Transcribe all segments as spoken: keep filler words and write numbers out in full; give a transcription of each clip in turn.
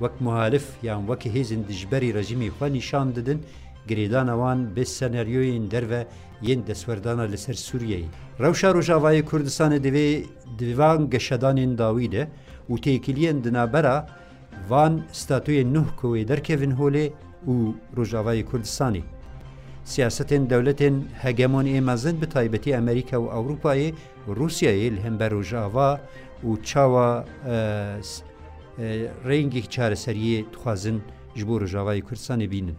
wek muhalif yan wek hêzên dijberî rejîmê xwe nîşan didin, girêdana wan bi senaryoyên derve yên destwerdana li ser Sûriyeyê. Rewşa Rojavayê Kurdistanê divê di van geşedanên dawî de û têkiliyên di navbera van statûyên nuh ku wê derkevin holê û Rojavayê Kurdistanê. Siyasetên dewletên hegemon ê mezin, bi taybetî Amerîka û Ewropayê û Rûsyayê, li hember Rojava û çawa, e, s-, e, rengek çareseriyê dixwazin ji bo Rojavayê Kurdistanê bînin.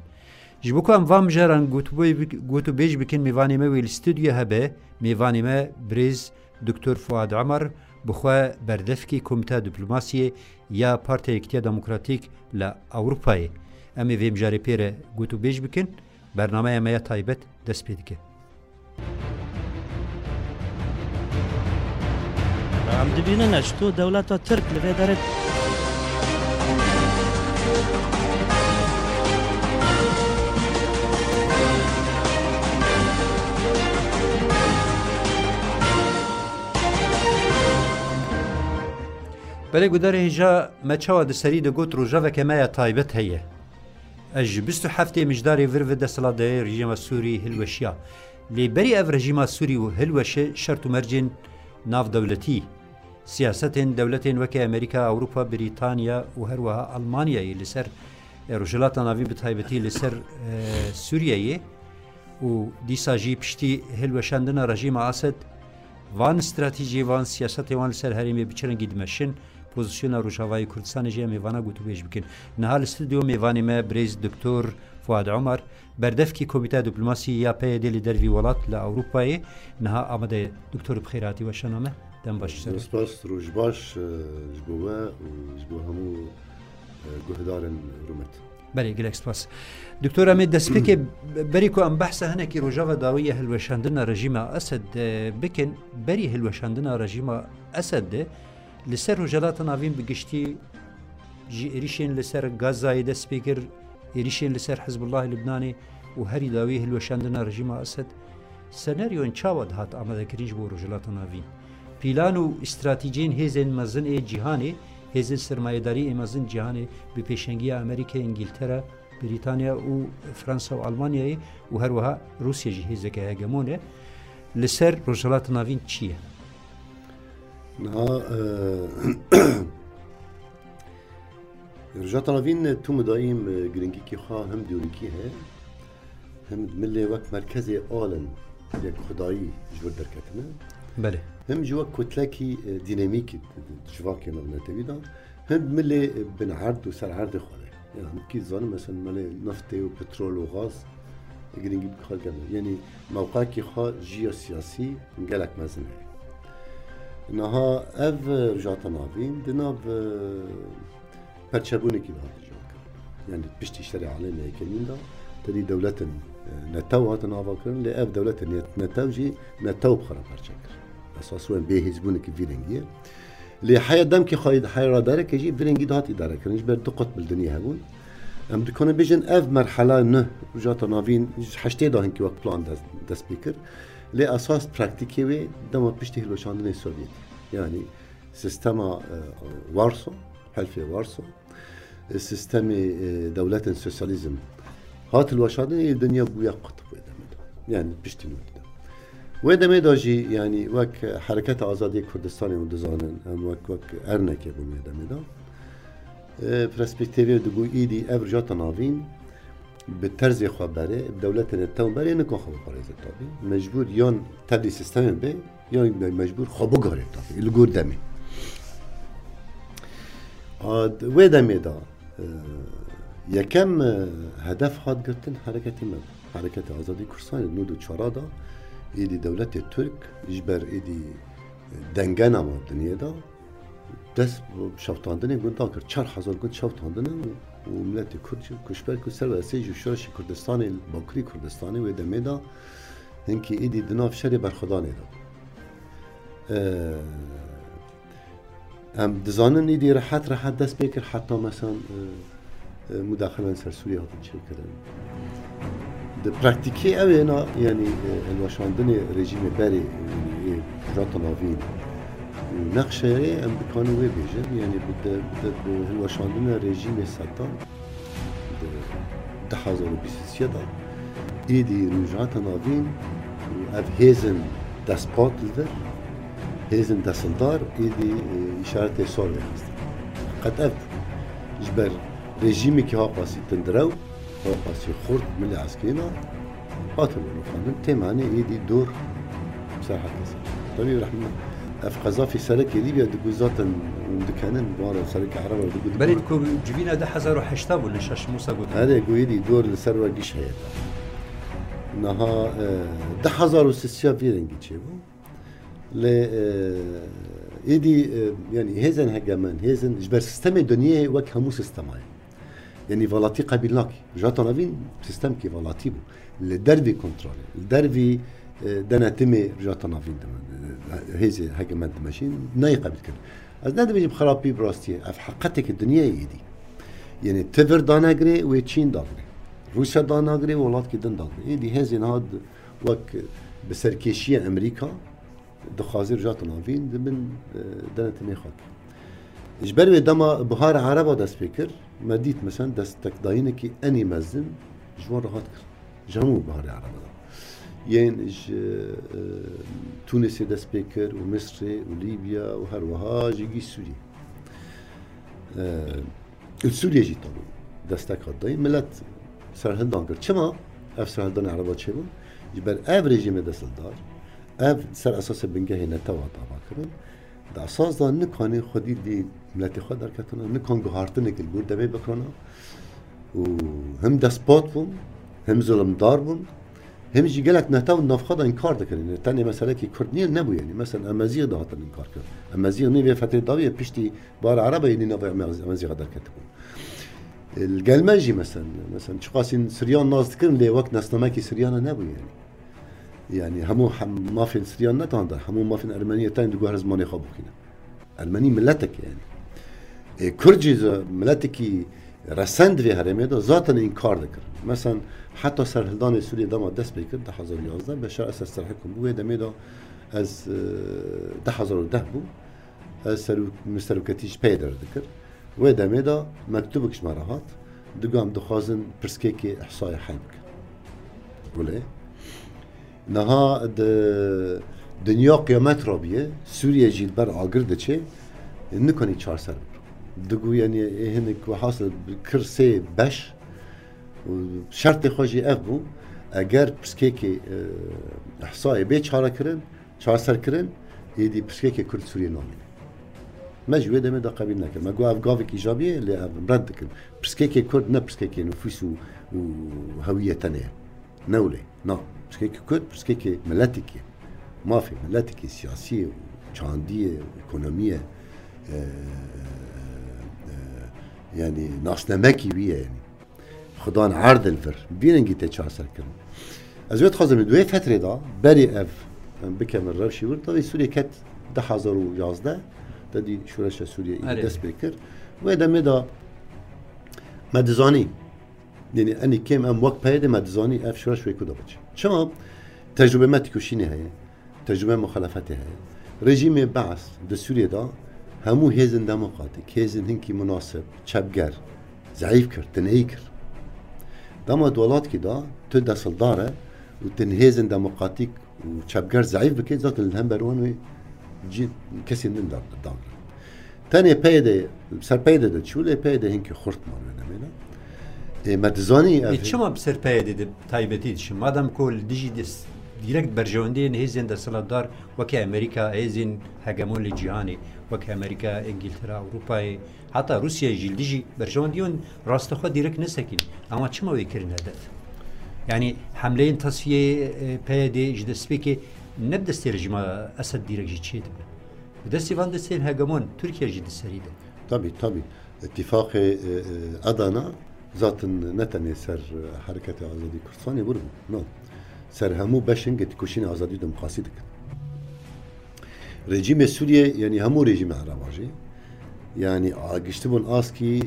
Ji bo ku em van mijaran gotûbê-, gotûbêj bikin, mêvanê me wê li stûdyo hebe, mêvanê me birêz Doktor Fuad Omer, bi xwe berdevkê Komîteya Dîplomasiyê ya Partiya Yekîtiya Demokratîk li Ewropayê. Em ê vê mijarê pê re gotûbêj bikin. Bernameya me ya taybet dest pê dike. Em dibînin eşto dewleta Tirk li vê derê. Belê gudarê hêja me çawa di serî de got, rojeveke me ya taybet heye. Ez ji bîst û heftê Mijdarê vir ve desthilatdayê rejîma Sûrî hilweşiya. Lê berî ev rejîma Sûrî û hilweşe şert û mercên navdewletî, siyasetên dewletên weke Amerîka, Ewropa, Brîtanya û her wiha Almanyayê li ser, e, Rojhilata Navîn bi taybetî li ser, e, Sûriyeyê û dîsa jî piştî hilweşandina rejîma Ased, van stratejiyê, van siyasetê wan li ser herêmê bi çi rengî dimeşin, pozîsyona Rojavayê Kurdistanê jî em ê vana gotûbêj bikin. Niha li stûdyo mêvanê me birêz Doktor Fuad Omer, berdevkî Komîteya Dîplomasî ya P Y D li dervî welat li Ewropayê, niha amade ye. Doktor, bi xêr hatî, weşana me. Dem baş ser. Spas, roj baş, e, ji bo we û ji bo hemû, e, guhdarên rûmet. Belê, gelek spas. Doktor, em ê destpêkê berî ku em behsa hinekî rojeva dawî ya hilweşandina rejîma Esed, e, bikin, berî hilweşandina rejîma Esed de li ser Rojhilata Navîn bi giştî ji êrîşên li ser Gazayê dest pê kir, êrîşên li ser Hizbullahê Libnanê û herî dawî hilweşandina rejîma Esed, senaryoyên çawa dihat amadekirin ji bo Rojhilata Navîn? Pîlan û stratejiyên hêzên mezin ê cîhanê, hêzên sermayedarî ê mezin cîhanê bi pêşengiya Amerîkayê, Îngîltera, Brîtanya û Fransa û Almanyayê û her wiha Rûsya jî hêzeke hegemon e. Li ser Rojhilata Navîn çi ye? Niha, e, Rojhilata Navîn tu midayîm, e, giringîkî xwe hem dîrokî heye, hem milê wek merkezê alin yek xwedayî ji vir derketine. Belê. Hem jî wek kutlekî, e, dînamîkî di, di, di civakê navnetewî de, hem milê, e, bin erd û ser erdê xwe de. Yani, kî zanin, mesela, milê neftê û petrol û gaz, e, giringî bi xwe gene. Yani, mewqekî xwe jiyosiyasî gelek mezin heye. Niha ev, e, Rojhilata Navîn di nav, e, perçebûnekî de hate cihakir. Yani piştî şerê alemê yekemîn de tedî dewletin, e, netew hatin avakirin, lê ev dewletin net-, netew jî netew bi xwe re perçe kir. Esas wen bê hêzbûnekî vî rengî ye. Lê heya demkî xwe îd-, heya radareke jî vî rengî de hat îdarekirin. Ji ber du qutb li dinyê hebûn. Em dikarin bêjin ev merhela neh Rojhilata Navîn ji heştê de hinkî wek plan dest, dest pê kir. Lê esas praktîkê wê dema piştî hilweşandinê Sovyetê. Yani sistema, e, Warso, Helfê Warso, e, sistemê, e, dewletên sosyalîzm hat hilweşandinê, ê dinya bûye qutb wê demê de. Yani piştî nû de. Wê demê de jî, yani wek Hereketa Azadiyê Kurdistanê hûn dizanin, em wek, wek ernekê bûn wê demê de. E, perspektîvê dibû îdî ev Rojhilata Navîn bi terzê xwe berê, bi dewletê netew berê, nikon xwe biparêze tabî. Mecbûr yan tevlî sistemê bê, yan me-, mecbûr xwe bigarê tabî, li gor demê. A, wê demê de, e, yekem, e, hedef hat girtin hereketê me. Hereketê Azadî Kurdistanê nod û çar de, êdî dewletê Tirk, ji ber êdî, e, dengena me dinyê de, dest bi şewitandinê gunda kir. Çar hezar gund şewitandine û, û miletê Kurd jî koçber kir ser ve esê ji şoreşê Kurdistanê, Bakurî Kurdistanê wê demê de hinkî êdî di nav şerê berxwedanê de. Ee, em dizanin êdî rehet rehet dest pê kir heta mesan, e, e, mudaxilen ser Sûriyê hatin çêkirin. Di praktîkê ew ê na, yanî, e, hilweşandinê rejîmê berê, yanî, ê Rojhilata Navîn, Nexşeyê em dikanin wê bêjin, yanî bi de, bi de, bi hilweşandina rejîmê Seddam di du hezar û bîst û sê de êdî Rojhilata Navîn û ev hêzin destpat li vir, hêzin destildar êdî, e, îşaretê sor vêxistin. Qet ev ji ber rejîmekî haqasî tundrew, haqasî xurt milê eskerî ne, hatin rûxandin, tê manê êdî dor ser her kesê. Tabî rehme ev qezafî serekê Lîbya digu zaten hûn dikenin, wara serekê Ereba digu digu. Belê ku civîna du hezar û heşta bû, ne şaş Musa got. Erê, gu êdî dor li ser we giş heye. Niha, e, du hezar û sisiya vî rengî çêbû. Lê, e, êdî, e, yanî hêzên hegemen, hêzên ji ber sistemê dinyayê wek hemû sistemayê. Yanî velatî qebîl nakî. Rojhilata Navîn sistemkî velatî bû. Li dervî kontrolê, li dervî, e, denetimê Rojhilata Navîn dime-, e, hêzê hegemen dimeşîn, nayê qebîl kirin. Ez nedibêjim xerapî bi rastiyê. Ev heqeteke dinyayê êdî. Yanî ti vir danegirê wê Çîn dagirê. Rûsya danagirê wê welatkî din dagirê. Êdî hêzên niha di-, wek bi serkêşiya Amerîka dixwaze Rojhilata Navîn di bin, e, denetimê xwe ke. Ji ber wê dema Bihara Ereba dest pê kir, me dît, mesela, destekdayînekî enî mezin ji wan re hat kir. Ji hemû Biharê Ereba de. Yên ji, e, Tûnisê dest pê kir û Misrê û Lîbya û her wiha jî gî Sûriyê. E, Li Sûriyê jî tabî destek hat dayîn. Milet serhildan kir. Çima ev serhildanê Ereba çêbûn? Ji ber ev rejîmê destildar, ev ser esasê bingehê netew hat avakirin, di esas de nikanî xwedî dî miletê xwe derketine, nikan guhartinekê li gor demê bikirine û him destpat bûn, him zilimdar bûn, him jî gelek netew di nav xwe de înkar dikirin. Tenê meselekî Kurd nîne, nebû yanî. Mesela Emezîx de hatin înkar kirin. Emezîx nî vê fetrê dawî ye piştî Bihara Ereba êdî navê Emezîxa derketibû. Li gel me jî mesela, mesela çiqasî Siryan nas dikirin lê wek nasnamekî Siryan nebû yanî. Yanî hemû hem-, mafên Siryan ne tanda, hemû mafên Ermeniyê tên di guher zimanê xwe bixwîne. Ermenî miletek e yanî. Ê, Kurd jî ze-, miletekî resen di vê herêmê de zaten înkar dikir. Mesela heta serhildanê Sûriyê dema dest pê kir, du hezar û yazdeh, Beşar Esed serhikûm bû, wê demê de ez, e, du hezar û deh bû, ez serok-, min seroketî ji PYDê re dikir. Wê demê de mektubek ji me re hat, digo em dixwazin pirsgekê îhsayê hel bikin. Gulê. Niha di dinya qiyamet rabiye, Sûriye jî li ber agir diçe, nikanî çarser bike. Digo, yanî, ê hinek wehasil kir sê beş û şertê xwe jî ev bû, eger pirsgekê, e, îhsayê bê çarekirin, çarserkirin, êdî pirsgekê Kurd Sûriyê namîne. Me jî wê demê de qebîl nekir. Me got ev gavek îcabî ye, lê ev red dikin. Pirsgekê Kurd ne pirsgekê nifûs û, û hewiyê tenê ye. Ne wile. Na. Pirsgekê Kurd, pirsgekê miletekî ye. Mafê miletekî, siyasî ye, çandî ye, ekonomî ye, e, e, yanî nasnamekî wî ye yanî. Xudan erd li vir. Vî rengî tê çarserkirin. Ez wê dixwazim di wê fetrê de berî ev, em bikemin rewşî wir, tevî Sûriyê ket du hezar û yazdeh, te dî şoreşa Sûriyê îdî Erê. dest pê kir. Wê demê de me dizanî, yanî enî kêm em wek PYDê me dizanî ev şoreş wê ku de biçe. Çima? Tecrûbê me têkoşînê heye. Tecrûbe muxalefetê heye. Rejîmê Beas di Sûriyê de hemû hêzên demokratîk, hêzên hinkî munasib, çepger, zeîf kir, tineyî kir. Dema di welatkî de tu destildar e û tu hêzên demokratîk û çepger zeîf bike, zaten li hember wan wê cî-, kesên din da-, dagre. Tenê PYDê, ser PYDê de çû, lê PYDê hinkî xurt man wê demê de. Ê, me dizanî ev Ê, çima bi ser PYDê de taybetî dişin? Madem ku li dijî des-, direkt berjewendiyên hêzên desthilatdar weke Amerîka, hêzên hegemon li cîhanê, weke Amerîka, Îngiltere, Ewropayê, heta Rûsyayê jî li dijî berjewendiyan rastixwe direkt nesekîn. Ama çima wê kirin hedef? Yanî hemleyên tasfiyê, e, PYDê ji destpêkê ne bi destê rejîma Esed direkt jî çêdibe. Bi destê van destên hegemon, Tirkiye jî di serî de. Tabî, tabî. Îtîfaqê, e, e, Adana zaten ne tenê ser, e, Hereketê Azadî Kurdistanê wir bû. No. Ser hemû beşên têkoşînê azadî û demokrasî dikin. Rejîmê Sûriyê, yanî hemû rejîmê Ereba jî, yanî a-, giştibûn askî, e,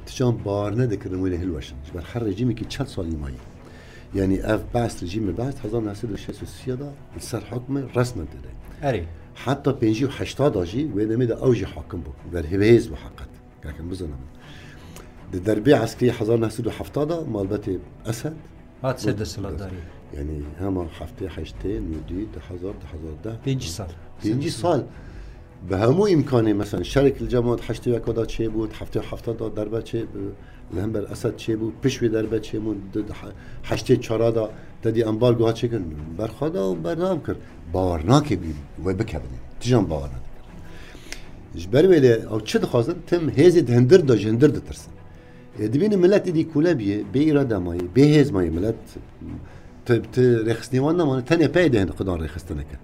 tican bar nedikirin wê lê hilweşin. Ji ber her rejîmekî çend salî mayî. Yanî ev Beas, rejîmê Beas hezar neh sed û şêst û sê de li ser hukm e, resmen tê de. Erê. Heta pêncî û heşta da jî wê demê de ew jî hakim bû. Berhêvhêz bû heqet. Gerek em bizanin. Di derbê eskerî hezar neh sed û hefta da malbetê Esed hat ser desthilatdarî. Yani hema heftê heştê, nûdî, du hezar, du hezar deh. Pêncî sal. Pêncî sal. Bi hemû îmkanê, mesela şerek li cemaat heştê û yeka da çêbû, heftê û hefta da derbe çê, li hember Esed çêbû, piş wê derbe çêbû, di, di he-, heştê çara da te dî ambargo hat çêkirin. Berxwe da û berdewam kir. Bawer nake bî wê bikevin. Tijan bawer nadikir. Ji ber wê lê ew çi dixwazin? Tim hêzê di hindir de ji hindir ditirsin. Ê, dibînin milet êdî kûle bîye, bê îrade mayî, bê hêz mayî milet, ti, ti rêxistinê wan nemane, tenê peyê dê hin xudan rêxistineke.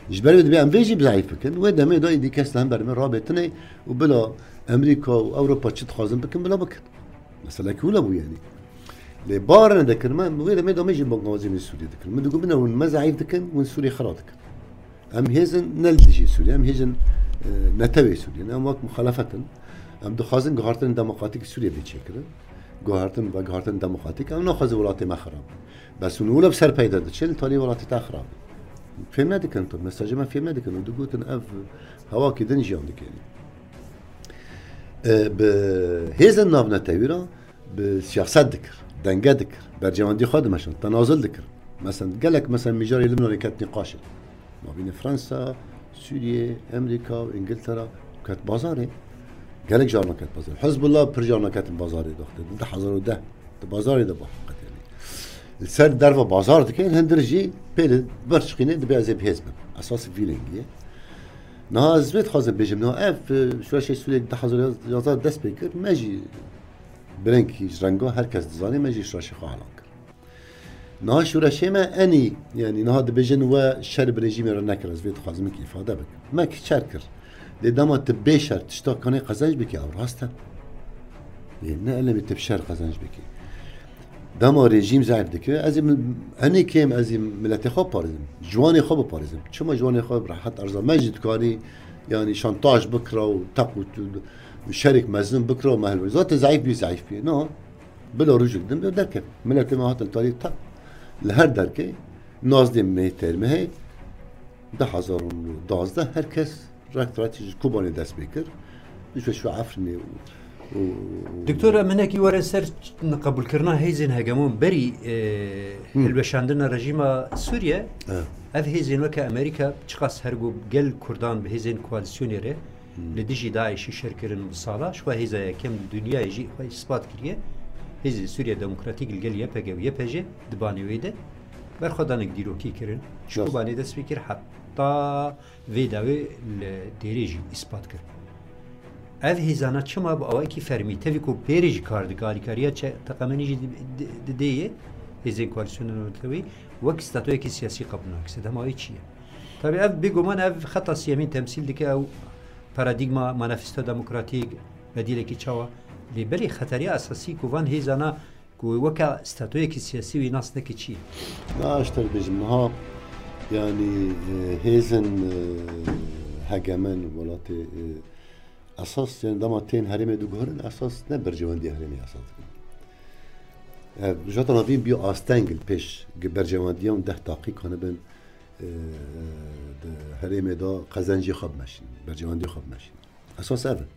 Ji ber wê dibê em vê jî bi zeîf bikin, wê demê de êdî kes li hember me rabê tune û bila Amerîka û Ewropa çi dixwazin bikin, bila bikin. Meselekî wila bû yani. Lê bar nedekir me, wê demê de me jî bangazî min Sûriyê dikin. Min digot, bine hûn me zeîf dikin, hûn Sûriyê xira dikin. Em hêzin ne li dijî Sûriyê, em hêzin, e, netewê Sûriyê ne, em wek muxalefet in. Em dixwazin guhartin demokratîk Sûriyê bê çêkirin. Guhartin ve guhartin demokratîk, em naxwazin welatê me xirab. Bes hûn wilo bi ser peyde diçin, li talî welatê te xirab. Fêm nedikin tu, mesajê me fêm nedikin û digotin ev hewakî din jiyan dikin. E, bi hêzin navnetewî re bi siyaset dikir, denge dikir, bercewendî xwe dimeşand, tenazul dikir. Mesela gelek mesela mijarê Libnanê ket nîqaşê. Mabînê Fransa, Sûriyê, Amerîka û Îngiltere ket bazarê. Gelek carna ket bazarê. Hizbullah pir carna ketin bazarê doxtê. Di du hezar û deh di bazarê de bû heqet yani. Li ser derva bazar dike, hindir jî pê li ber çiqînê dibe ez ê bi hêz bim. Esas vî lengî ye. Niha ez vê dixwazim bêjim, niha ev, e, şoreşê Sûriyê du hezar yazdeh dest pê kir, me jî bi rengekî ji renga her kes dizane, me jî şoreşê xwe elan kir. Niha şoreşê me enî, yani niha dibêjin we şer bi rejîmê re nekir, ez vê dixwazim wekî îfade bikim. Me kî şer kir. Lê dema tu bê şer tişta kanê qezenc bikî, ew rast e. Lê ne elemê tu bi şer qezenc bikî. Dema rejîm zeîf dike, ez ê mil-, enê kêm ez ê miletê xwe biparêzim. Ciwanê xwe biparêzim. Çima ciwanê xwe bi rehet erza me jî dikarî, yani şantaj bikira û teq û tu-, û şerek mezin bikira û me hilwe. Zaten zeîf bî, zeîf bî. No. Bila rojek din bi derkevin. Miletê me hatin tarî ta li her derkê nazdê me têr me hey du hezar û duwazdeh her kes rekt rekt ji Kobanê dest pê kir. Ji şu Efrînê û, û, û Doktor, em hinekî werin ser qebûlkirina hêzên hegemon berî, e, Hı. hilweşandina rejîma Sûriye. Evet. Ev hêzên weke Amerîka çiqas her ku gel Kurdan bi hêzên koalîsyonê re Hmm. li dijî DAIŞ'î şer kirin bi sala, ji xwe hêza yekem li dinyayê jî xwe îspat kiriye. Hêzên Sûriye Demokratîk li gel Y P G û Y P J di banê wê de berxwedanek dîrokî kirin. Ji Rast. Kobanê dest pê kir heta vê dawê li Dêrê jî îspat kir. Ev hêzana çima bi awayekî fermî, tevî ku pêrê jî kar dike, alîkariya çe-, teqemenî jî di-, di-, didê yê, hêzên koalîsyona navnetewî wek statoyekî siyasî qebûl nake. Sedema wê çi ye? Tabî ev bêguman ev xeta siyemîn temsîl dike, ew paradîgma, manifesto demokratîk, bedîlekî çawa? Lê belê xeteriya esasî ku van hêzana ku weke statoyekî siyasî wî nas neke çi ye? Na, ez te bêjim niha, yani, e, hêzên, e, hegemen welatê, e, esas, yani dema tên herêmê diguherin, esas ne berjewendiya herêmê esas dikin. E, jata navîn bî asteng li pêş gi berjewendiyan deh daqîq hanibin, e, di herêmê de qezencê xwe bimeşînin, berjewendiyê xwe bimeşînin. Esas ev in.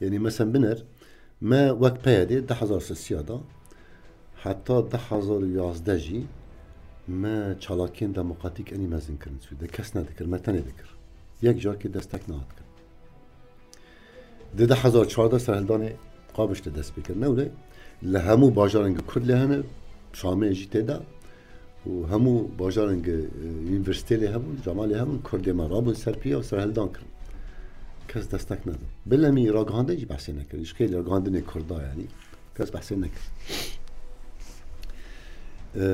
Yanî mesen biner, me wek P Y D du hezar sisiya da heta du hezar û yazdeh jî me çalakiyên demokratîk enî mezin kirin Sûriyê. Kes nedikir, me tenê dikir. Yek carekê destek nehat kirin. Di du hezar çardeh serhildanê Qabişte dest pê kir. Newre li hemû bajarên Kurd lê hene, Şamê jî tê de. û hemû bajarên gi, e, unîversîtê lê hebûn, cama lê hebûn, Kurdê me rabûn ser piya û serhildan kirin. Kes destek nedin. Bilemî ragihandin jî behsê nekirin. Ji xêlê ragihandinê Kurda, yanî kes behsê nekir. E,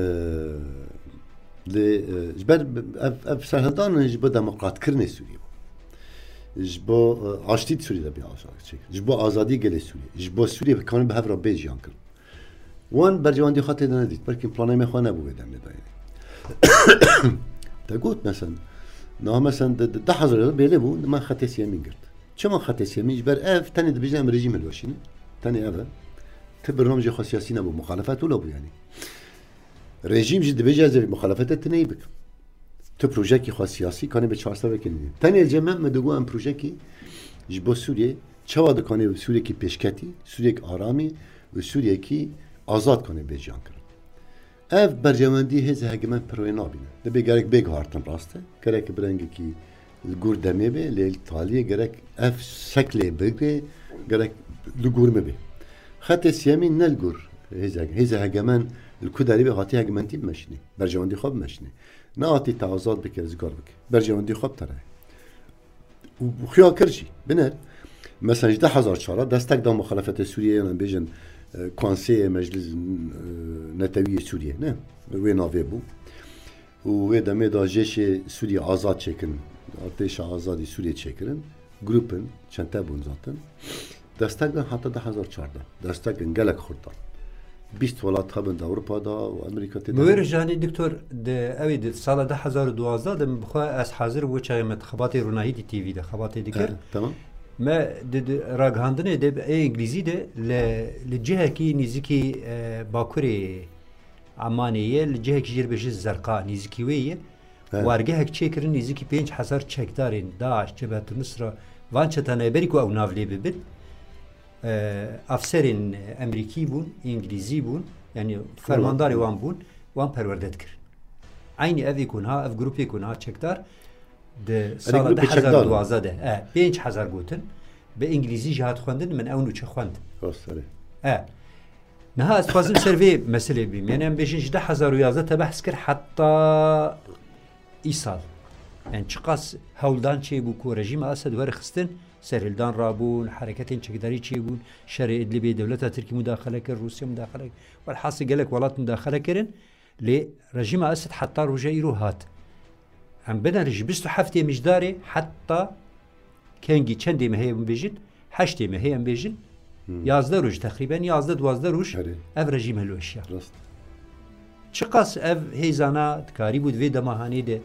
lê, e, ji ber ev, ev serhildan in ji bo demokratkirinê Sûriyê bû. Ji bo, e, aştî di Sûriyê de bê aşa çêkir. Ji bo azadî gelê Sûriyê. Ji bo Sûriyê bikarin bi hev re bê jiyan kirin. Wan berjewendî xwe tê de nedît. Belkî planê me xwe nebû wê demê de. Te got, mesen, niha mesen di, di, du hezar bêlê bû, me xetê siyemîn girt. Çima xetê siyemîn? Ji ber ev tenê dibêjin em rejîm hilweşînin. Tenê ev e. Ti birnamecê xwe siyasî nebû, muxalefet wilo bû yanî. Rejîm jî dibêje ez ê vê muxalefetê tineyî bikim. Tu projekî xwe siyasî kanê bi çarçevekê nîne. Tenê cem me, me digot em projekî ji bo Sûriyê, çawa dikanê Sûriyekî pêşketî, Sûriyek aramî û Sûriyekî azad kanê bê jiyan kirin. Ev berjewendî hêzê hegemen pir wê nabîne. Dibê gerek bê guhartin rast e. Gerek bi rengekî li gor demê be, lê li taliyê gerek ev şeklê bigre, gerek li gor me be. Xetê siyemîn ne li gor hêzê, hêzê hegemen li ku derê be hatî hegementî bimeşînê. Berjewendî xwe bimeşînê. Nehatî te azad bike, rizgar bike. Berjewendî xwe bitere. Û xuya kir jî. Bine, mesela ji du hezar çar destek da muxalefetê Sûriyeyê, yan bêjin, e, konseyê meclis, e, netewiyê Sûriyê, ne? Wê navê bû. Û wê demê da jêşê Sûriyê azad çêkirin. Artêşa azadî Sûriyê çêkirin. Grûpin, çente bûn zaten. Destek dan heta du hezar çardeh. Destek gelek xurt dan. Bîst welat hebin di Ewropa da û Amerîka tê de. Bi wê re janî doktor, di, ew ê di sala du hezar û duwazdeh de min bi xwe ez hazir bû çaxê me xebatê Ronahîtî T V de xebatê dikir. Evet, tamam. Me di, di ragihandinê de ê îngilîzî de li, li cihekî nîzikî, e, bakurê Emanê ye, li cihekî jê re bêje Zerqa, nîzikî wê ye. He. Wargehek çêkirin, nîzikî pênc hezar çekdarên DAIŞ, Cebhet Nusra, van çeta nayberî ku ew nav lê bibin. E, afserên Emerîkî bûn, Îngilîzî bûn, yanî fermandarê wan bûn, wan perwerde dikir. Eynî ev ê ku niha, ev grûpê ku niha çekdar, di sala du hezar û duwazdeh de, e, pênc hezar gotin, bi Îngilîzî jî hat xwendin, min ew nûçe xwend. Rast, erê. E, niha ez dixwazim ser vê meselê bîm. Yanî em bêjin ji du hezar û yazdeh te behs kir heta îsal. Yanî çiqas hewldan çêbû ku rejîma Esed were xistin, serhildan rabûn, hereketên çekdarî çêbûn, şerê Idlibê dewleta Tirkî mudaxele kir, Rûsya mudaxele kir. Welhasil gelek welat mudaxele kirin. Lê rejîma Esed heta roja îro hat. Em bidin ji bîst û heftê Mijdarê heta kengî çendê mehê em bêjin, heştê mehê em bêjin, Hmm. yazdeh roj teqrîben, yazdeh duwazdeh roj Erê. ev rejîm hilweşiya. Rast. Çiqas ev hêzana dikarîbû di vê dema hanê de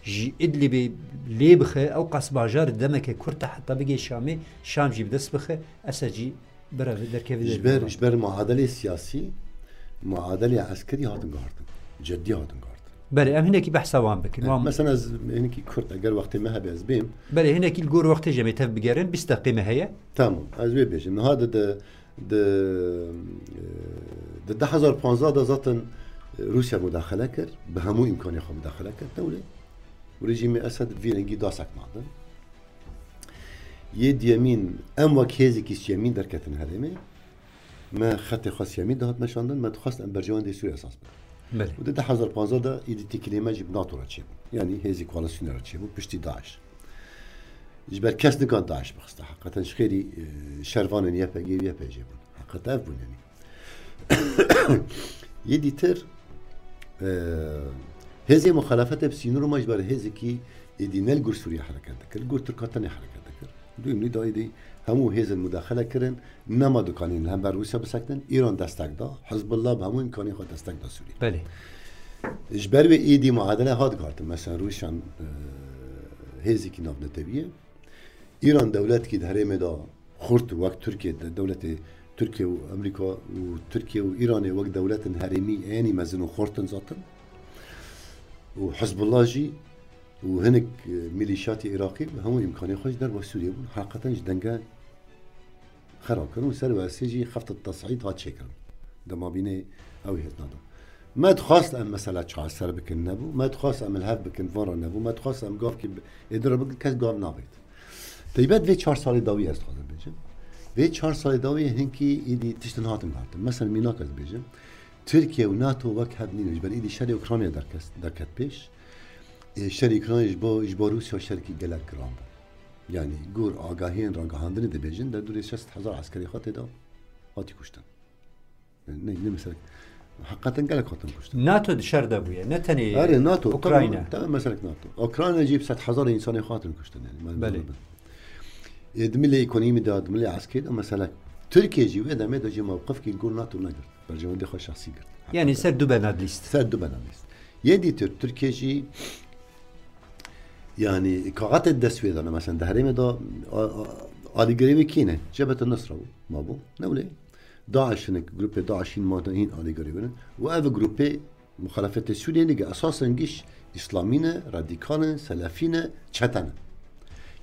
ji Idlibê lê bixe, ew qas bajar demeke kurt e heta bigê Şamê, Şam jî bi dest bixe, Esed jî Bira vê derkevî Ji ber, ji ber muadelê siyasî, muadelê eskerî hatin guhartin. Ceddî hatin guhartin. Belê, em hinekî behsa wan bikin. Evet, wan mesela ez hinekî kurt, eger wextê me hebe ez bêm. Belê, hinekî li gor wextê jî em ê tev bigerin, bîst deqê me heye. Tamam, ez wê bêjim. Niha di, di, di, di du hezar panzdeh de zaten Rûsya mudaxele kir, bi hemû îmkanê xwe mudaxele kir. Tewlê û rejîmê Esed vî rengî dasek nadin. Yê diyemîn, em wek hêzekî siyemîn derketin herêmê. Me xetê xwe siyemîn dihat meşandin, me dixwest em berjewendê Sûriyê esas bikin. Belê. Û di du hezar panzdeh de êdî têkilê me jî bi NATO re çêbû. Yanî hêzî koalîsyonê re çêbû, piştî DAIŞ. Ji ber kes nikan DAIŞ bixiste. Heqeten ji xêrî, e, şervanên Y P G û Y P J bûn. Heqet ev bûn yanî. Yê dîtir, e, hêzê muxalefetê bi sînor û me ji ber hêzekî êdî ne li gor Sûriye hereket dikir, li gor Tirka tenê hereket dikir. Duyemî da êdî hemû hêzên mudaxele kirin, nema dikanîn li hember Rûsya bisekinin, Îran destek da, Hizbullah bi hemû îmkanên xwe destek da Sûriye. Belê. Ji ber wê êdî muadele hat guhartin, mesela Rûsyan, e, hêzekî navnetewî ye. Îran dewletkî di herêmê de xurt wek Tirkiye de, dewletê Tirkiye û Amerîka û Tirkiye û Îranê wek dewletin herêmî ênî mezin û xurt in zaten. Û Hizbullah jî û hinek, e, milîşatê Iraqî bi hemû îmkanê xwe ji derve Sûriyê bûn. Heqeten ji denge xera kirin û ser wesê jî xefta tesîd hat çêkirin. Dema bînê ew hêz nada. Me dixwast em mesela çareser bikin, nebû. Me dixwast em li hev bikin, van re nebû. Me dixwast em gavkî bi-, êdî re bikin, kes gav navêt. Teybet vê çar salê dawî ez dixwazim bêjim. Vê çar salê dawî hinkî êdî tiştin hatin guhartin. Mesela mînak ez bêjim. Tirkiye û NATO wek hev nîne. Ji ber êdî şerê Ukraynayê derkes-, derket pêş. Ê, şerê Ukraynayê ji bo, ji bo Rûsya şerekî gelek giran bû. Yanî gor agahiyên ragihandinê dibêjin, derdorê şêst hezar eskerê xwe tê de hatî kuştin. Ne, ne mesela, heqeten gelek hatin kuştin. NATO di şer de bûye, ne tenê Erê, NATO, Ukrayna. Tamam, tamam, mesela NATO. Ukrayna jî bi sed hezar insanê xwe hatin kuştin, yanî, me Belê. Ê, di milê ekonomî de, di milê eskerî de, mesela, Tirkiye jî wê demê de jî mewqifkî li gor NATO negirt. Berjewendê xwe şexsî girt. Yanî ser du bena lîst. Ser du bena lîst. Yê dîtir, Tirkiye jî, yanî, kaxetê dest wê de ne, mesela, di herêmê de, a, a, alîgirê wê kî ne? Cebhete Nusra bû, ma bû. Ne wile? DAIŞ hinek, grûpê DAIŞ hîn ma hîn alîgirê wê ne. Û ev grûpê Muxalefetê Sûriyê nige, esasen giş îslamî ne, radîkal in, selefî ne, çete ne.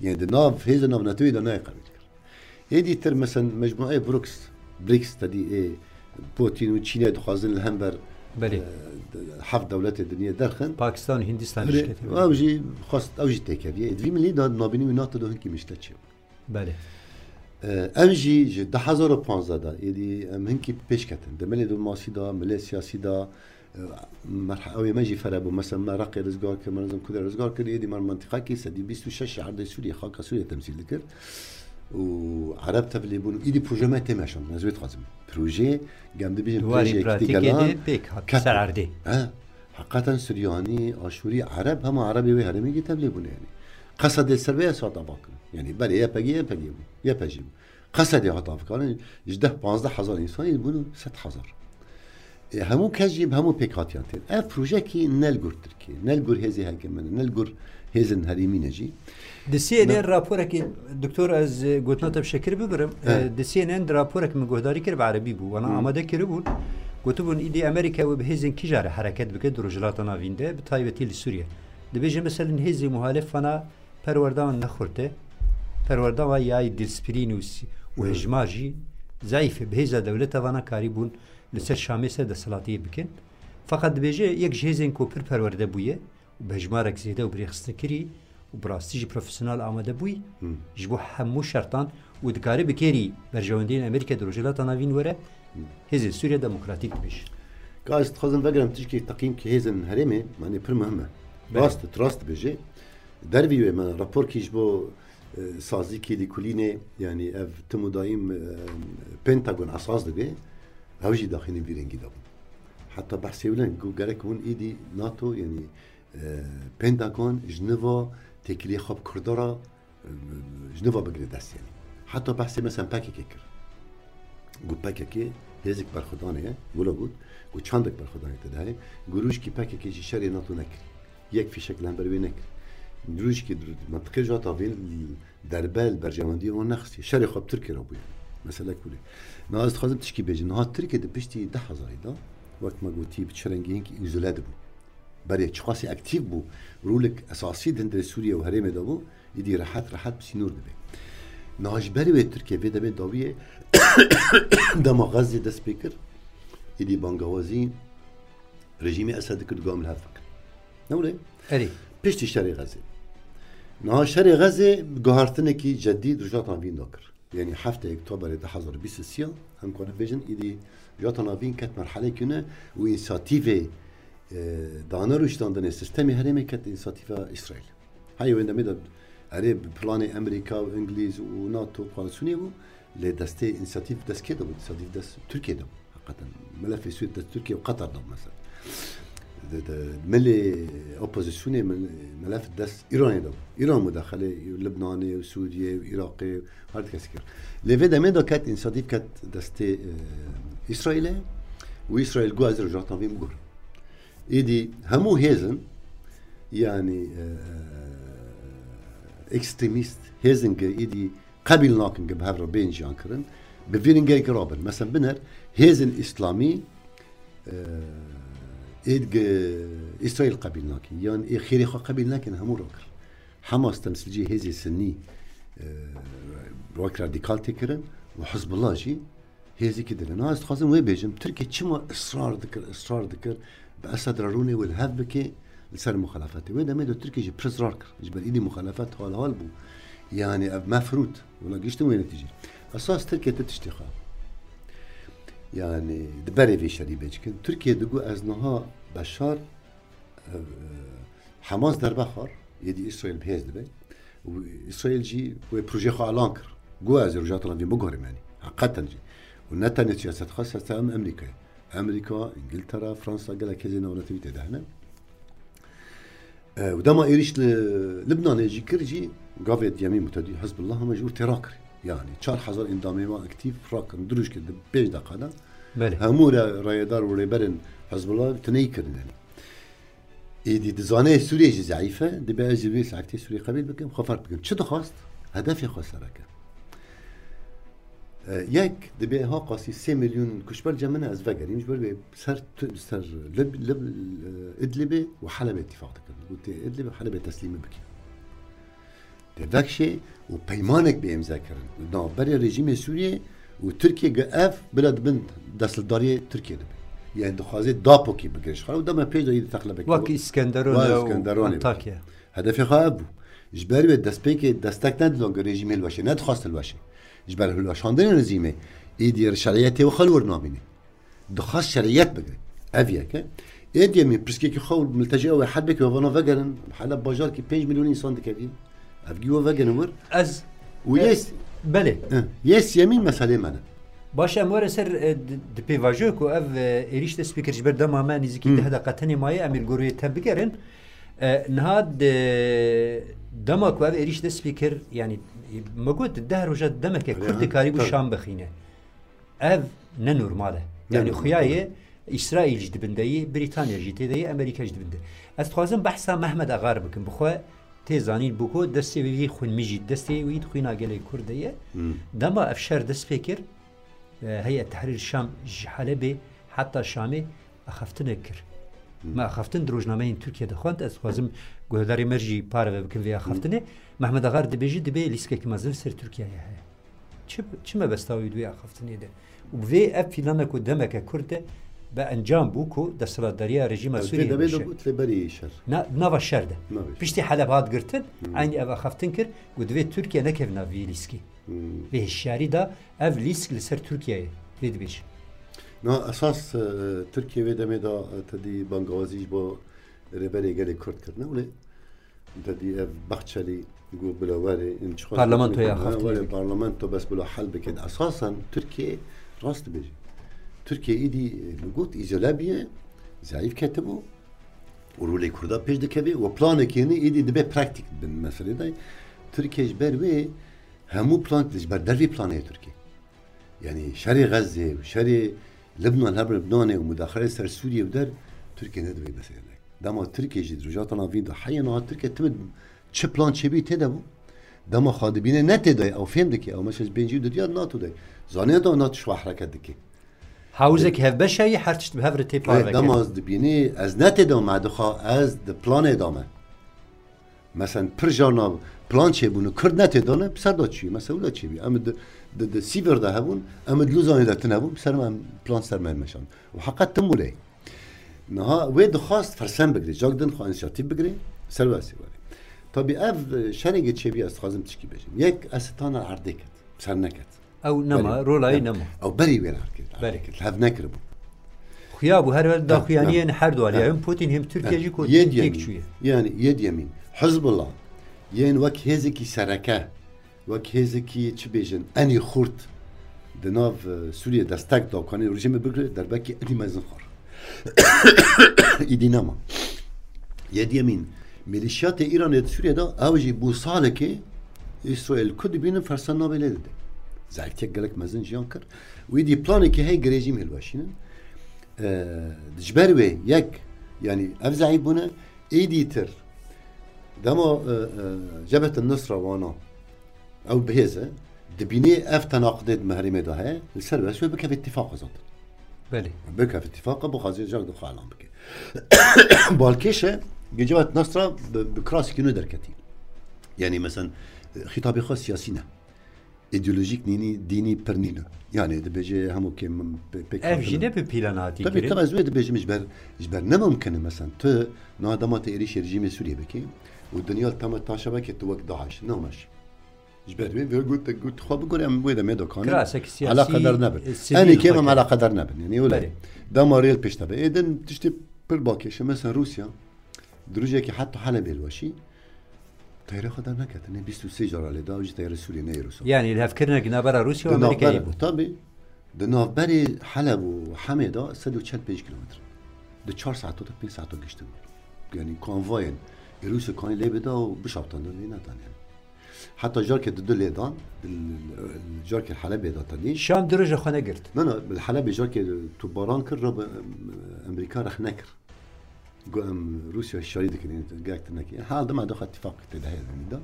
Yanî di nav hêzên navnetewî de nayê qebîl kir. Êdî tir, mesen, mecmueyê BRICS, BRICS, te dî ê Putin û Çînê dixwazin li hember, Belê. e, de-, heft dewletê dinyê derxin. Pakistan û Hindistan Belê, şirketê. ew jî xwest, ew jî têkeviye. Êdî vî milî de nabînî wî NATO de hinkî mişte çê. Belê. E, em jî ji du hezar û panzdeh de, êdî em hinkî pêş ketin. Di milê diplomasî de, milê siyasî de, e, merhe-, ew ê me jî fere bû. Mesela me Reqê rizgar kir, me nizam Kudê rizgar kir, êdî me mentiqekî sedî bîst û şeş erdê Sûriyê, xaka Sûriyê temsîl dikir. Û Ereb tevlê bûn û êdî proje me tê meşand. Ez wê dixwazim. Proje, gem dibêjin Di warê proje pratîkê gela de pêk hat ket ser bû. erdê. He. Heqeten Suryanî, Aşûrî, Ereb, hema Erebê wê herêmê jî tevlê bûne yanî. Qesedê ser vê esas hat avakirin. Yanî belê Y P G, Y P G bû. Y P G bû. Qesedê hat avakirin. Ji deh panzdeh hezar însanî bûn sed hezar. E, hemû kes jî bi hemû pêkhatiyan tên. Ev projekî ne li gor Tirkiyê, ne li gor hêzê hekimine, ne li gor hêzên herêmî ne jî. Di C N N Ne- raporekî, Doktor, ez, e, gotina te bi şekir bibirim. He. E, di C N N di raporek min guhdarî kir, bi erebî bû. Wana Hı. amade kiribûn. Gotibûn, îdî Amerîka wê bi hêzên kîjan re hereket bike di Rojhilata Navîn de, bi taybetî li Sûriye. Dibêje, meselen, hêzê muhalif vana perwerdan nexurte. Perwerdan wa yayî dilspirîn û s-, û Hı. hejmar jî zayîf e. Bi hêza dewleta vana karîbûn li ser Şamê ser desthilatiyê bikin. Feqet dibêje, yek ji hêzên ku pir perwerde bûye, û bi hejmarek zêde û birêxistin kirî û bi rastî jî profesyonel amade bûyî Hı. ji bo hemû şertan û dikarî bi kêrî berjewendiyên Amerîka di Rojhilata Navîn were, Hı. Hêzên Sûriya Demokratîk dibêje. Ka ez dixwazim vegerim tişkî teqîmkî hêzên herêmê, yanî pir muhim e. Belê. Rast, rast dibêje. Dervî wê me raporkî ji bo, e, sazîkî lîkolînê, yanî ev tim û daîm, e, Pentagon esas dibe, ew jî daxînî vî rengî de bû. Heta behsê wile ku gerek hûn êdî NATO, yanî e, Pentagon ji niva têkiliyê xwe bi Kurda re, e, ji niva bigire dest yanî. Heta behsê mesela P K K kir. Got P K K hêzek berxwedanê ye, wilo got, got çandek berxwedanê te de heye, got rûjkî P K K jî şerê NATO nekir. Yek fîşek li hember wê nekir. Rûjkî mentiqê ji hata vê derbe li berjewendiyê wan nexistiye. Şerê xwe bi Tirkiyê re bûye. Mesele kulê. Niha ez dixwazim tişkî bêjim. Niha Tirkiye di piştî du hezarî de, wek me gotî, bi çi rengî hinkî îzole dibû. Berê çiqasî aktîf bû, rolek esasî di hundirê Sûriye û herêmê de bû, îdî rehet rehet bi sînor dibe. Niha ji berê wê Tirkiye vê demê dawiyê dema Xezzê dest pê kir, îdî bangawazî rejîmê Esed dikir, digam li hev bikir. Ne wile? Erê. Piştî şerê Xezzê. Niha şerê Xezzê guhartinekî cedî di Rojhilata Navîn de kir. Yanî heftê Oktoberê du hezar û bîst û sê, em karin bêjin, îdî Rojhilata Navîn ket merhelekî ne û însiyatîvê, e, dane rûştandinê sistemê herêmê ket însiyatîva Îsraîl. Heyê wê demê de erê bi planê Amerîka û Îngilîz û NATO koalîsyonê bû, lê destê însiyatîv dest kê de bû? Însiyatîv dest Tirkiye de bû. Heqeten melefê Sûriyê dest Tirkiye û Qeter de mesela. Di, di, milê opozîsyonê mil-, melef dest Îranê de bû. Îran mudexelê Libnanê û Sûriyê û Iraqê û her kesî kir. Lê vê demê de ket însiyatîv ket destê, e, Îsraîlê û Îsraîl got ez Rojhilata Navîn biguherim. Êdî hemû hêzin, yanî, e, ekstremîst hêzin ki êdî qebîl nakin ki bi hev re bên jiyan kirin, bi vî rengekî rabin. Mesela biner hêzên îslamî, e, êd ki Îsraîl qebîl nakin, yan ê xêrê xwe qebîl nakin, hemû rakir. Hamas temsilcî hêzê Sinnî, e, wek radîkal tê kirin û Hizbullah jî hêzekî din e. Niha ez dixwazim wê bêjim, Tirkiye çima israr dikir, israr dikir, bi Esed re rûnê wê li hev bike li ser muxalefetê. Wê demê de Tirkiye jî pir israr kir. Ji ber îdî muxalefet hal hal bû. Yanî ev mefrût. Wila giştin wê netîcê. Esas Tirkiye ti tiştê xwe. Yanî di berê vê şerî bê çikin. Tirkiye digot ez niha Beşar, e, e, Hamas derbe xwar, êdî Îsraîl bi hêz dibe. Û Îsraîl jî wê projeyê xwe elan kir. Got ez ê Rojhilata Navîn biguherim yanî. Heqeten jî. Û ne tenê siyaset xwe, siyaset em Amerîkayê. Amerîka, Îngiltere, Fransa, gelek hêzên navnetewî tê de hene. E, û dema êrîş li Libnanê jî kir jî, gavê diyemîn bû tedî Hizbullah hema ji wir tê rakir. Yanî çar hezar endamê wan aktîf rakirin, du roj kir di pênc deqa de. Belê. Hemû re-, rayedar û rêberên Hizbullah tineyî kirin yanî. Êdî dizane Sûriye jî zeîf e, dibe ez jî vê saetê Sûriye qebîl bikim, xwe ferq bikim. Çi dixwast? Hedefê xwe sereke. E, yek, dibê ha qasî sê milyon kuşber cem min e, ez vegerîm, ji ber wê ser tu-, ser Lib-, Lib-, e, Idlibê û Helebê îtîfaq dikin. Û tê Idlibê û Helebê teslîmî bikin. Tê vekşê û peymanek bê îmze kirin. Navberê rejîmê Sûriyê û Tirkiye gi ev bila di bin desthilatdariyê Tirkiye dibe. Yani dixwaze dapokî bigire ji xwe û dema pêş de yî di texlebekî Wek wek Îskenderun Wek e û Îskenderunê bike. Antakya. Hedefê xwe ev bû. Ji ber wê destpêkê destek nedidon ku rejîm hilweşe, nedixwast hilweşe. Ji ber hilweşandinê rejîmê, êdî şeriyetê wê xwe li wir nabîne. Dixwast şeriyet bigire. Ev yek e. Êdî em ê pirsgirêkê xwe û miltecî ew ê hel bike, wê vana vegerin. Heleb bajarkî pênc milyon însan dikevî. Ev gî wê vegerin wir. Ez, Û e, yes. Belê. Eh, yes yemîn meselê me ne. Baş, em were ser, e, di, di pêvajoyê ku ev, e, êrîş dest pê kir ji ber dema me nêzîkî Hmm. deh deqe tenê maye, em ê li gor wê tem bigerin. E, niha di dema ku ev êrîş dest pê kir, yanî, e, me got di deh roja demeke Erê, kurt ha, dikarî bû tabii. Şam bixîne. Ev ne normal e. Ne Yanî normal, xuya ye, tabii. Îsraîl jî di bin de ye, Brîtanya jî tê de ye, Amerîka jî di bin de. Ez dixwazim behsa Mehmet Agar bikim. Bi xwe tê zanîn bû ku destê wî xwînmijî, destê wî di xwîna gelê Kurd de ye. Hmm. Dema ev şer dest pê kir, e, Heyet Tehrir Şam ji Helebê heta Şamê axaftinek kir. Hmm. Me axaftin di rojnameyên Tirkiye de xwend. Ez dixwazim guhdarê me jî parve bikin vê axaftinê. Hmm. Mehmet Agar dibêje, dibê lîstikeke mezin li ser Tirkiyeyê heye. Çi, çi mebesta wî di wê axaftinê de? Û bi vê ev plana ku demeke kurt e, bi encam bû ku desthilatdariya rejîma Ew Sûriyeyê demê de bişe. Got lê berî şer. Na, nava şer de. Navê şer. Piştî Heleb hat girtin, Hmm. eynî ev axaftin kir, ku divê Tirkiye nekeve nav vî lîskî. Hmm. Vê hişyarî da, ev lîsk li ser Tirkiyeyê vê dibêje. Na esas, e, Tirkiye vê demê de, e, tedî bangawazî ji bo rêberê gelê Kurd kirine. Wê Tedî ev Bahçelî got bila were, in çiqas Parlamentoya gotinê, axaftinê were bike. Parlamento bes bila hel bikin. Esasen Tirkiye rast dibêje. Tirkiye îdî, e, min got, îzole bûye, zayîf ketibû û rolê Kurda pêş dikeve û planekê ne îdî dibe praktîk bin meselê de. Tirkiye ji ber wê hemû plan, ji ber dervî planê Tirkiye. Yani şerê Xezzê û şerê Libnan, her Libnanê û mudaxilê ser Sûriye û der Tirkiye nedivê meselê. Dema Tirkiye jî di Rojhilata Navîn de heye niha Tirkiye tim çi plan çêbî tê de bû. Dema xwe dibîne ne tê de, ew fêm dike, ew mesela ji pêncî û du diya NATO de. Zanî da NATO ji xwe hereket dike. Hawizek hevbeşa yî her tişt bi hev re tê Wê parve dema kirin. Ez dibînî, ez ne tê de me dixwa, ez di planê de me. Mesela pir carna plan çêbûn û Kurd ne tê de ne, bi ser de çûyî. Mesela wila çêbî. Em di, di, di Sîvir de hebûn, em di Lozanê de tune bûn, bi ser me em plan ser me meşan. Û heqet tim wile. Niha wê dixwast fersend bigire, cak din xwe însiyatîf bigire, ser wê sê were. Tabî ev, e, şerê ge çêbî ez dixwazim tişkî bêjim. Yek, Esitana erdê ket, ser neket. Ew nema, Belê. rola wî Belê. nema. Ew berî wê erdê ket, Belê. erdê ket. Hev nekiribû. Xuya bû her wek Ha, daxuyaniyên ha. her du alî. Ha. Hem Putin hem Tirkiye Ha. jî ku Yê têk diyemîn. çûye. Yani yê diyemîn. Hizbullah. Yên wek hêzekî sereke. Wek hêzekî, çi bêjin, enî xurt di nav, e, Sûriyê destek da, ku anî rejîmê bigire, derbekî enî mezin xwar. Îdî nema. Yediyemîn, milîşyatê Îranê di Sûriyê de, ew jî bû salekê Îsraîl ku dibînin fersend nabê lê dide. Zehfiyek gelek mezin jiyan kir. Û îdî planekî heye girê jî hilweşînin. E, ji ber wê yek, yanî ev zehîf bûne, Êdî tir. Dema, e, e, Cebhet Nusra wana, ew bihêz e, dibînê ev tenaqidê di mehrêmê de heye, li ser wê wê bikeve îtîfaqa zaten. Belê. Bikeve îtîfaqa, bixwaze cak di xwe elan bike. Balkêş e, Cebhet Nusra bi, bi krasekî nû derketî. Yani, mesela, xîtabê xwe siyasî ne. Îdeolojîk nînî, dînî pir nîne. Yani dibêje hemû kêm pê-, pêk Ev hatin jî in. ne bi plan hatî Tabii, kirin. tabii, ez wê dibêjim ji ber, ji ber ne mumkin e, mesela tu niha dema te êrîşê rejîmê Sûriyê bikî û dinya li tema taşa veke tu wek DAIŞ, ne meş. Ji ber wê, wê got, got, xwe bigore, em wê demê dokanê Kirasek siyasî, eleqedar nebin. e, sivîl Enê kêm em weke. eleqedar nebin. Yani öyle. Belê. Dema rêl pêş de be. Ê din tiştê pir balkêş e. Mesela Rûsya, di rojekî heta Helebê li weşî, Teyarê xwe derneketine, bîst û sê cara lê da, ew jî teyarê Sûriyê, ne Êrûsa. Yani, lihevkirinek navbera Rûsya û Di Amerîkayê navber-, bû. Tabii, di navberê Heleb û Hemê de sed û çel pênc kilometre. Di çar saeto de pênc saeto giştin. Yani, konvoyên Êrûsê kanî lê bida û bişaptandin, lê nedan yani. Heta carkê di du lê dan, di, carkê Helebê de tenî. Şam du roja xwe negirt. Na, na, li Helebê carkê tu baran kir, rebe, Amerîka rexne kir. Got, em Rûsya hişyarî dikin, gelek tune kir. Ha, dema doxa tifaq tê de heye de.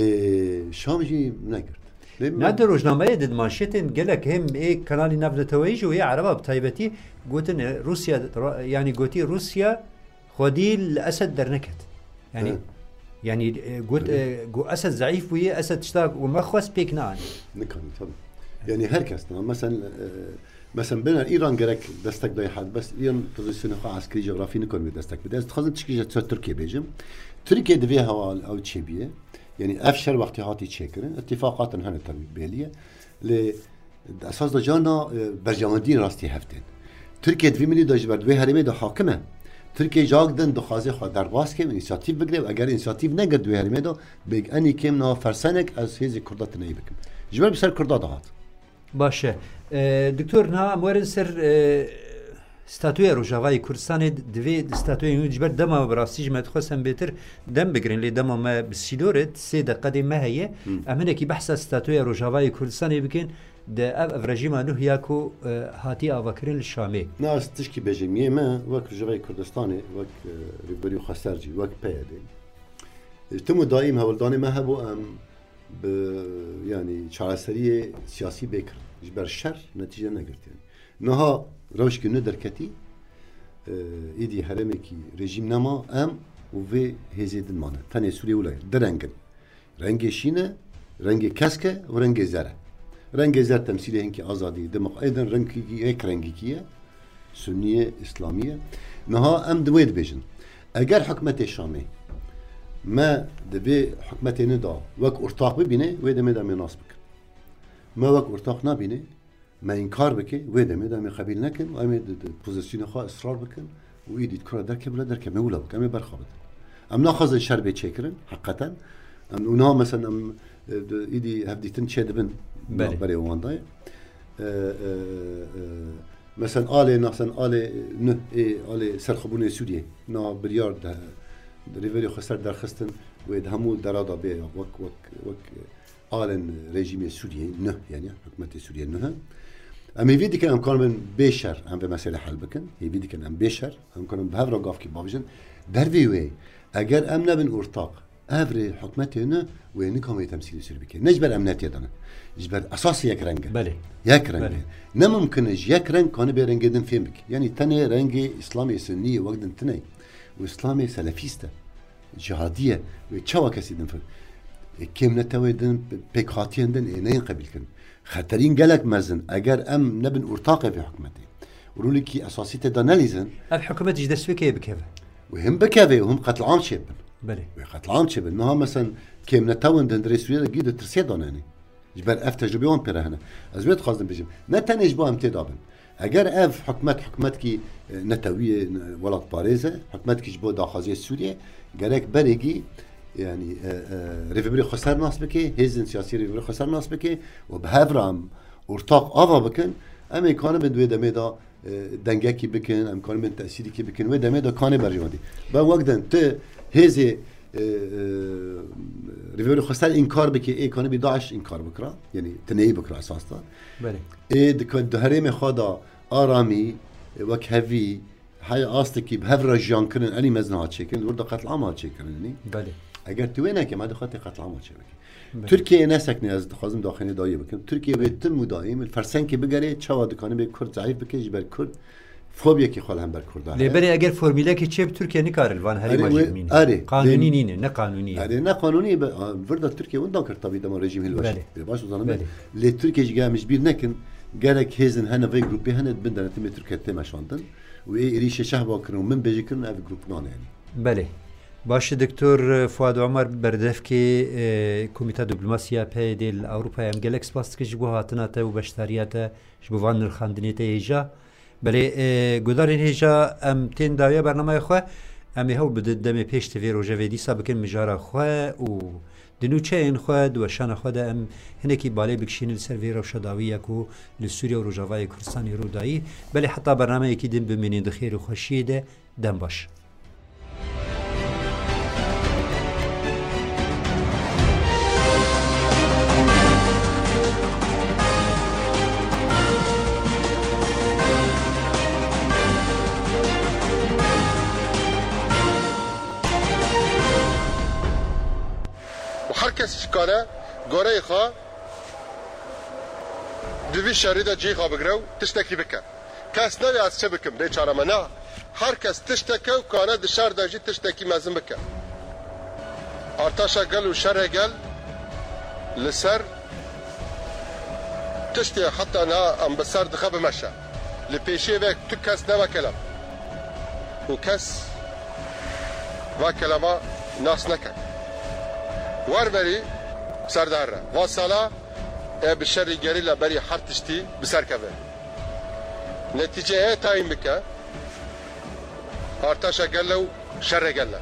Ê, Şam jî negirt. Na di rojnameyê de, di manşetên gelek hêm ê kanalî navneteweyî jî û yê ereba bi taybetî gotin, e, Rûsya, ra-, yanî gotî Rûsya xwedî li Esed derneket. Yanî, Evet. yanî, e, got, Evet. e, got Esed zeîf bûye, Esed tişta ku me xwest pêk neanî. Nikanî, tabii. Yani her kes, tamam. Mesela, e, mesela bena Îran gerek destek dayê had, bes Îran pozisyonê xwe eskerî, coğrafî nikon wê destek bide. Ez dixwazim tişkî ji ser Tirkiye bêjim. Tirkiye di vê hewa ew çêbûye. Yani ev şer wextê hatî çêkirin, ittifaqatin hene tabii belli ye. Lê esas de carna, e, berjewendiyên rastî hev tên. Tirkiye di vî milî de ji ber di wê herêmê de hakim e. Tirkiye cak din dixwaze xwe derbas ke û însiyatîf bigire û eger însiyatîf negir di wê herêmê de, bêg enî kêm niha fersenek ez hêzê Kurda tineyî bikim. Ji ber bi ser Kurda dihat. Baş e. E, Doktor, niha em werin ser, e, Statuya Rojavayê Kurdistanê. Divê statuya nû, ji ber dema bi rastî ji me dixwest em bêtir dem bigirin, lê dema me bi sînor e, sê deqedê me heye. Hmm. Em hinekî behsa statuya Rojavayê Kurdistanê bikin, di ev, ev rejîma nuh ya ku, e, hatiye avakirin li Şamê. Na, ez tişkî bêjim, yê me wek Rojavayê Kurdistanê, wek, e, Rêvebirî Xweser jî, wek P Y D. E, tim û daîm hewldanê me hebû, em bi, yanî, çareseriyê siyasî bê kirin. Ji ber şer netîce negirtiye. Niha rewşkê nû derketî, e, îdî herêmekî rejîm nema, em û vê hêzê din mane. Tenê Sûriyê wilo ye. Du reng in. Rengê şîn e, rengê kesk e û rengê zer e. Rengê zer temsîlê hinkî azadî, demokra-, ê din rengekî yek rengekî ye. Sunnî ye, Îslamî ye. Niha em di wê dibêjin. Eger hikûmetê Şamê me di vê hikûmetê nû de wek ortaq bibîne, wê demê de em ê nas bikin. Me wek ortaq nabîne, me înkar bike, wê demê de em ê qebîl nekin û em ê di, di pozisyonê xwe israr bikin û îdî di kura derkeve, bila derkeve, me wila bikin, em ê berxwe bidin. Em naxwazin şer bê çêkirin, heqîqeten. Em, û niha mesela em, e, di, îdî hevdîtin çêdibin, Belê. navberê wan de ye. E, e, e, mesela alê, nasen alê nuh, ê alê serxwebûnê Sûriyê, na biryar de, Rêvebirê Xweser derxistin, wê di hemû dera de bê, wek, wek, wek alên rejîmê Sûriyeyê nuh, yani hikûmetê Sûriyê nuh e. Em hêvî dikin em karibin bê şer em vê meselê hel bikin. Hêvî dikin em bê şer, em karin bi hev re gavkî bavêjin. Dervê wê, eger em nebin ortaq, ev rê hikûmetê nuh wê nikan wê temsîlê Sûrî bike. Ne ji ber em netê de ne. Ji ber esasê yek reng e. Belê. Yek reng Belê. e. Ne mimkin e ji yek reng kanibê rengê din fêm bike. Yani tenê rengê Îslamê Sunnî yê wek din tune ye. Û Îslamê selefîst e. Cihadî ye. Wê çawa kesî din fir-, e, kêmnetewê din, pêkhatiyên din ê neyên qebîl kirin. Xeterîn gelek mezin, eger em nebin ortaqê vê hikûmetê. Rolekî esasî tê de nelîzin. Ev hikûmet ji destpêkê bikeve. Wê him bikeve û him qetliam çêbin. Belê. Wê qetliam çêbin. Niha mesen kêmnetewên di hundirê Sûriyê de gî di tirsê de ne ne. Ji ber ev tecrûbê wan pê re hene. Ez wê dixwazim bêjim. Ne tenê ji bo em tê de bin. Eger ev hikûmet, hikûmetkî, e, netewî ye, ne, welatparêz e, hikûmetkî ji bo daxwaziyê Sûriyê, gerek berêkî, yani, e, e, Rêvebirê Xweser nas bike, hêzên siyasî Rêvebirê Xweser nas bike û bi hev re em ortaq ava bikin, em ê kanibin di wê demê de, e, dengekî bikin, em kanibin tesîrîkî bikin, wê demê de kanê berjewendî. Be wek din, tu hêzê, e, e, Rêvebirê Xweser înkar bike, ê kanibî DAIŞ înkar bikira, yani tineyî bikira esas de. Belê. Ê di, di herêmê xwe de aramî, e, wekhevî, hey astekî bi hev re jiyan kirin, enî mezin hat çêkirin, li wir de qetliam hat çêkirin, yani. Belê. Eger tu wê neke, me dixwe tê qetliam hat çêbike. Belê. Tirkiye nesekne, ez dixwazim daxînê dayê bikim. Tirkiye wê tim û daîm li fersenkê bigere, çawa dikanibê Kurd zeîf bike, ji ber Kurd fobiyekî xwe li hember Kurda heye. Lê berê eger formîlekê çêb, Tirkiye nikare li van herêma Erê, jî wê, bimîne. erê, Qanûnî lê, nîne, ne qanûnî ye. Erê, ne qanûnî ye, be, a, vir de Tirkiye winda kir tabî dema rejîm hilweşt. Belê. Lê baş dizanim, Belê. lê Tirkiye jî gel em ji bîr nekin, gerek hêzin hene vê grûpê hene di bin denetimê Tirkiye tê meşandin. Û ê êrîşê şehba kirin û min bêjî kirin ev grûp nane yani. Belê. Baş e, Doktor Fuad Omer, berdevkê, e, Komîta Diplomasiya P Y D li Ewropayê, em gelek spas dikin ji bo hatina te û beşdariya te ji bo van nirxandinê te hêja. Belê, e, guhdarên hêja, em tên dawiya bernameya xwe, em ê hewl bidin demê pêş ti vê roje vê dîsa bikin mijara xwe û di nûçeyên xwe, di weşana xwe de em hinekî balê bikişînin li ser vê rewşa dawî ya ku li Sûriye û Rojavayê Kurdistanê rû dayî. Belê heta bernameyekî din bimînin di xêr û xweşiyê de. Dem baş. û her kes ji kare goreyê xwe Di vî şerî de cihê xwe bigire û tiştekî bike. Kes newê ez çi bikim, bê çare me. Na, her kes tiştek e û kane di şer de jî tiştekî mezin bike. Artaşa gel û şerê gel li ser tiştê heta niha em bi ser dixe bimeşe. Li pêşiyê ve tu kes nebe kelem. Û kes va kelema nas neke. Wer berî ser dihere. Va sala e bi şerî gerîla berî her tiştî bi ser keve. Netîceyê tayîn bike. Artaşa gel e û şerê gel e.